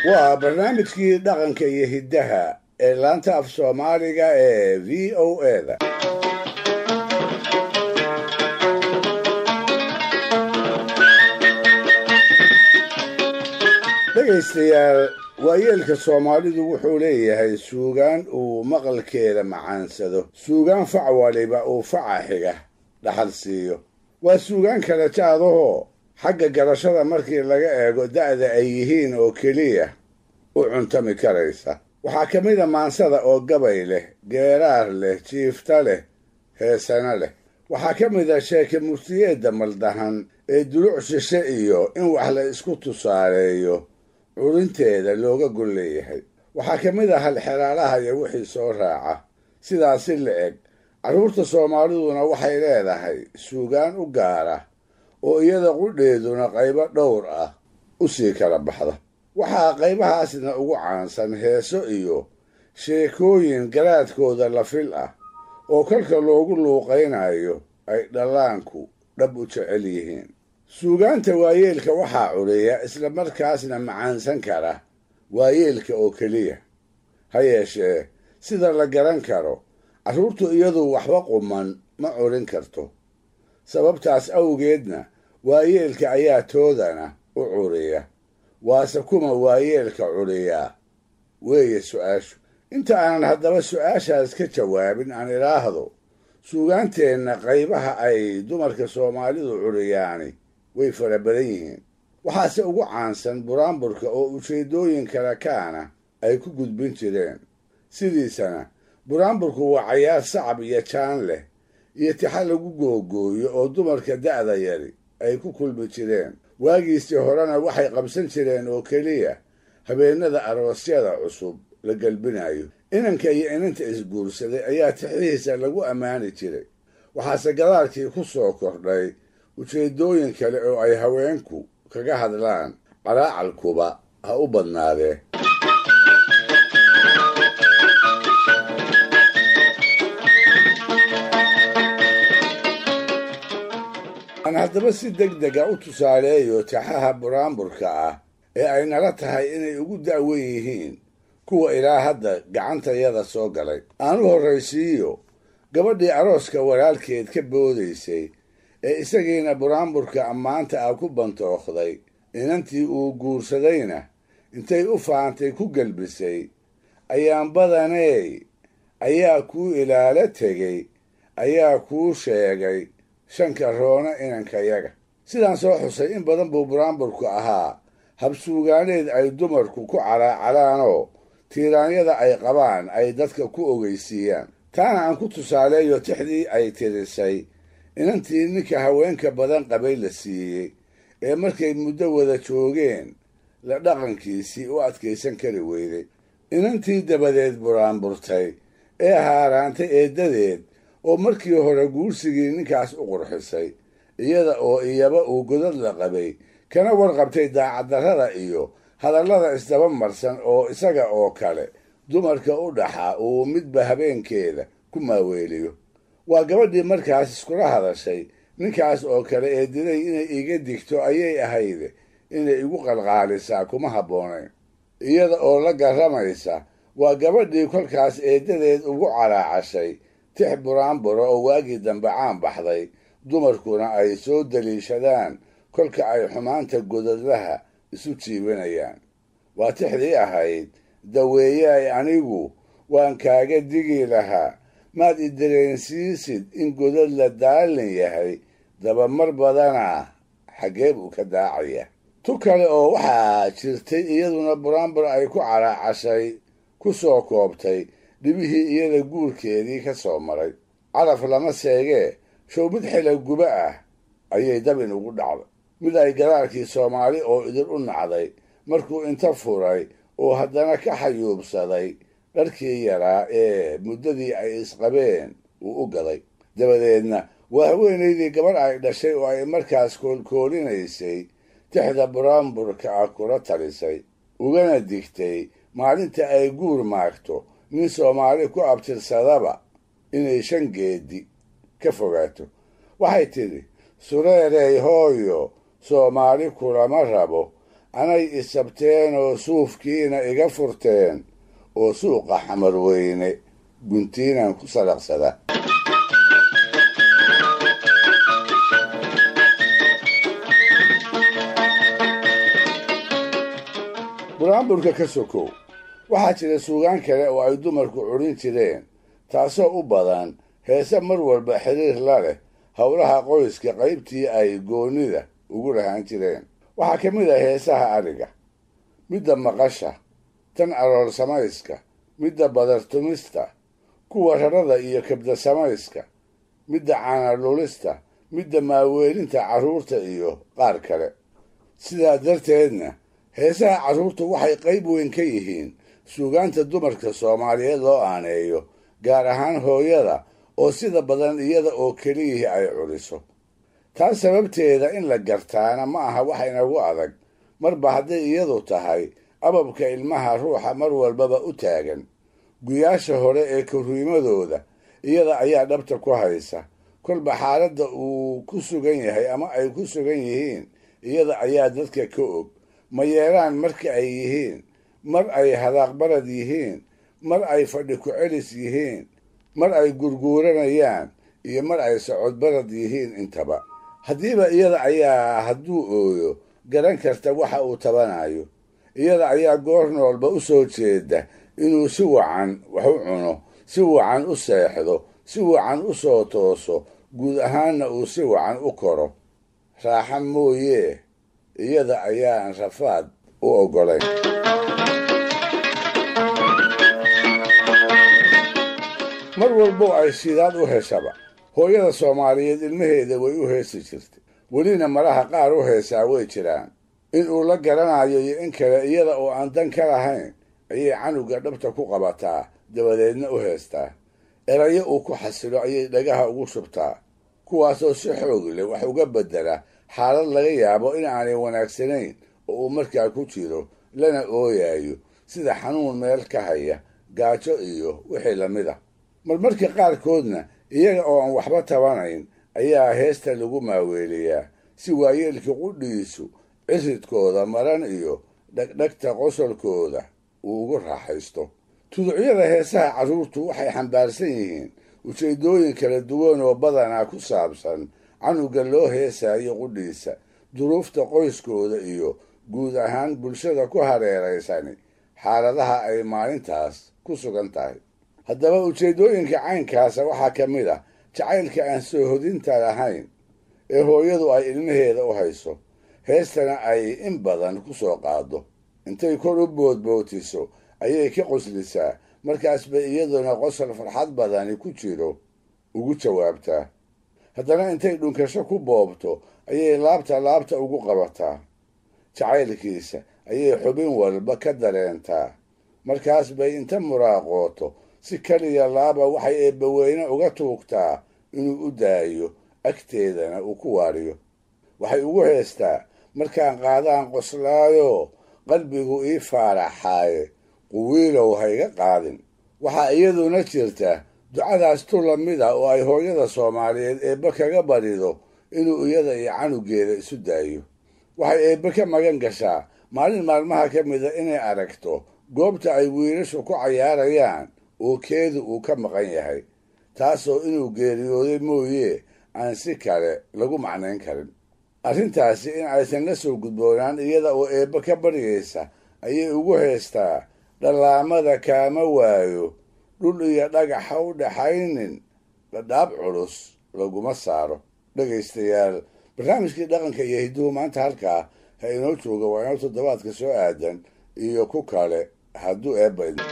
Waa barnaamijkii dhaqanka iyo hiddaha ee laanta af Soomaaliga ee VOA-da. Dhegaystayaal, waayeelka Soomaalidu wuxuu leeyahay suugaan uu maqalkeeda macaansado, suugaan fac waliba uu faca xiga dhaxal siiyo. Waa suugaan kala jaadahoo xagga garashada markii laga eego da'da ay yihiin oo keliya u cuntami karaysa. Waxaa ka mid a maansada oo gabay leh, geeraar leh, jiifta leh, heesana leh. Waxaa ka mid a sheeke murtiyeedda maldahan ee duluc shishe iyo in wax la isku tusaaleeyo curinteeda looga gol leeyahay. Waxaa ka mid a halxeraalaha iyo wixii soo raaca. Sidaasi la eg carruurta Soomaaliduna waxay leedahay suugaan u gaara oo iyada qudheeduna qaybo dhowr ah u sii kala baxda. Waxaa qaybahaasna ugu caansan heeso iyo sheekooyin garaadkooda la fil ah oo kolka loogu luuqaynayo ay dhallaanku dhab u jecel yihiin. Suugaanta waayeelka waxaa curiya isla markaasna macaansan kara waayeelka oo keliya. Ha yeeshee, sida la garan karo, carruurtu iyadu waxba quman ma curin karto. Sababtaas awgeedna waayeelka ayaa toodana u curiya. Waase kuma waayeelka curiyaa weeye su'aashu. Inta aanan haddaba su'aashaas ka jawaabin, aan idhaahdo suugaanteenna qaybaha ay dumarka Soomaalidu curiyaani way fara badan yihiin. Waxaase ugu caansan buraanburka oo ujeeddooyin kale kaana ay ku gudbin jireen. Sidiisana buraanburku waa cayaar sacab iyo jaan leh iyo tixa lagu googooyo oo dumarka da'da yari ay ku kulmi jireen. Waagiisii horena waxay qabsan jireen oo keliya habeennada aroosyada cusub la gelbinayo. Inanka iyo inanta isguursaday ayaa tixihiisa lagu ammaani jiray. Waxaase gadaalkii ku soo kordhay ujeeddooyin kale oo ay haweenku kaga hadlaan, calaacalkuba ha u badnaadee. Aan haddaba si deg dega u tusaaleeyo taxaha buraanburka ah ee ay nala tahay inay ugu da'wen yihiin kuwa ilaa hadda gacantayada soo galay. Aan u horraysiiyo gabadhii arooska walaalkeed ka boodaysay ee isagiina buraanburka ammaanta ah ku bantookday, inantii uu guursadayna intay u faantay ku gelbisay: "Ayaan badaney ayaa kuu ilaalo tegey, ayaa kuu sheegay shanka roona inankayaga." Sidaan soo xusay, in badan buu buraanburku ahaa habsuugaaneed ay dumarku ku calaacalaanoo tiiraanyada ay qabaan ay dadka ku ogeysiiyaan. Taana aan ku tusaaleeyo tixdii ay tirisay inantii ninka haweenka badan qabay la siiyey ee markay muddo wada joogeen la dhaqankiisii u adkaysan kari weyday. Inantii dabadeed buraanburtay ee haaraantay eeddadeed oo markii hore guursigii ninkaas u qurxisay, iyada oo iyaba uu godad la qabay kana warqabtay daacaddarrada iyo hadallada isdaba marsan oo isaga oo kale dumarka u dhaxa uu midba habeenkeeda ku maaweeliyo. Waa gabadhii markaas iskula hadashay: "Ninkaas oo kale eediday inay iiga digto ayay ahayde, inay igu qalqaalisaa kuma habboonayn." Iyada oo la garramaysa waa gabadhii kolkaas eeddadeed ugu calaacashay tix buraanbura oo waagii dambe caan baxday, dumarkuna ay soo daliishadaan kolka ay xumaanta godadlaha isu jiibanayaan. Waa tixdii ahayd: "Daweeyaay anigu waan kaaga digi lahaa, maad i dareensiisid in godad la daalin yahay, dabamar badanaa xaggee buu ka daacaya." Tu kale oo waxaa jirtay iyaduna buraanbur ay ku calaacashay ku soo koobtay dhibihii iyada guurkeedii ka soo maray. Calaf lama seegee, show mid xila guba ah ayay dabin ugu dhacday, mid ay gadaalkii Soomaali oo idin u nacday markuu inta furay oo haddana ka xayuubsaday dharkii yaraa ee muddadii ay isqabeen uu u gaday. Dabadeedna waa haweenaydii gabarh ay dhashay oo ay markaas koolkoolinaysay tixda buraanburka ah kula talisay, ugana digtay maalinta ay guur maagto nin Soomaali ku abtirsadaba inay shan geedi ka fogaato. Waxay tidhi: "Sureerey hooyo, Soomaali kulama rabo, Anay isabteen oo suufkiina iga furteen oo suuqa Xamarweyne guntiinaan ku salaqsada. Buraanburka ka sokow, waxaa jira suugaan kale oo ay dumarku curin jireen, taasoo u badan heese mar walba xiriir la leh howlaha qoyska qaybtii ay goonnida ugu lahaan jireen. Waxaa ka mid ah heesaha adhiga, midda maqasha, tan aroor samayska, midda badartumista, kuwa rarada iyo kabda samayska, midda caanadhulista, midda maaweelinta carruurta iyo qaar kale. Sidaa darteedna heesaha carruurtu waxay qayb weyn ka yihiin suugaanta dumarka Soomaaliyeed loo aaneeyo, gaar ahaan hooyada oo sida badan iyada oo keliyihii ay curiso. Taas sababteeda in la gartaana ma aha wax inagu adag, marba hadday iyadu tahay ababka ilmaha ruuxa mar walbaba u taagan. Guyaasha hore ee korriimadooda iyada ayaa dhabta ku haysa, kolba xaaladda uu ku sugan yahay ama ay ku sugan yihiin iyada ayaa dadka ka og. Ma yeelaan marka ay yihiin, mar ay hadaaqbarad yihiin, mar ay fadhi ku-celis yihiin, mar ay gurguuranayaan iyo mar ay socodbarad yihiin intaba. Haddiiba iyada ayaa hadduu ooyo garan karta waxa uu tabanayo. Iyada ayaa goor noolba u soo jeeda inuu si wacan wax u cuno, si wacan u seexdo, si wacan u soo tooso, guud ahaanna uu si wacan u koro. Raaxa mooyee iyada ayaan rafaad u oggolayn. Mar walbo ay shidaad u heshaba, hooyada Soomaaliyeed ilmaheeda way u heesi jirtay, welina malaha qaar u heesaa way jiraan. In uu la garanayo iyo in kale, iyada oo aan dan ka lahayn ayay canuga dhabta ku qabataa, dabadeedna u heestaa. Erayo uu ku xasilo ayay dhagaha ugu shubtaa, kuwaasoo si xoog leh wax uga beddela xaalad laga yaabo in aanay wanaagsanayn oo uu markaa ku jiro lana ooyayo, sida xanuun meel ka haya, gaajo iyo wixii lamid a. Marmarka qaarkoodna iyaga oo aan waxba tabanayn ayaa heesta lagu maaweeliyaa, si waayeelka qudhiisu ciridkooda maran iyo dhegdhegta qosolkooda uu ugu raaxaysto. Tuducyada heesaha carruurtu waxay xambaarsan yihiin ujeeddooyin kala duwan oo badanaa ku saabsan canuga loo heesaayo qudhiisa, duruufta qoyskooda iyo guud ahaan bulshada ku hareeraysani xaaladaha ay maalintaas ku sugan tahay. Haddaba ujeeddooyinka caynkaasa waxaa ka mid ah jacaylka aan soo hodinta lahayn ee hooyadu ay ilmaheeda u hayso, heestana ay in badan ku soo qaaddo. Intay kor u boodbootiso ayay ka qoslisaa, markaas bay iyaduna qosol farxad badani ku jiro ugu jawaabtaa. Haddana intay dhunkasho ku boobto ayay laabta laabta ugu qabataa. Jacaylkiisa ayay xubin walba ka dareentaa, markaas bay inta muraaqooto si kaliya laaba waxay eebbaweyne uga tuugtaa inuu u daayo, agteedana uu ku waariyo. Waxay ugu heestaa: markaan qaadaan qoslaayo, qalbigu ii faaraxaaye, quwiilow ha iga qaadin. Waxaa iyaduna jirta ducadaas tu lamid ah oo ay hooyada Soomaaliyeed eebbe kaga barido inuu iyada iyo canugeeda isu daayo. Waxay eebbe ka magan gashaa maalin maalmaha ka mida inay aragto goobta ay wiilashu ku cayaarayaan oo keedu uu ka maqan yahay, taasoo inuu geeriyooday mooyee aan si kale lagu macnayn karin. Arrintaasi in aysan la soo gudboonaan iyada oo eebbe ka baryaysa ayay ugu heestaa: dhallaamada kaama waayo, dhul iyo dhagax ha u dhaxaynin, dhadhaab culus laguma saaro. Dhegaystayaal, barnaamijkii dhaqanka iyo hidduhu maanta halkaa ha inoo jooga. Waa inoo toddobaadka soo aadan iyo ku kale hadduu eebba idmo.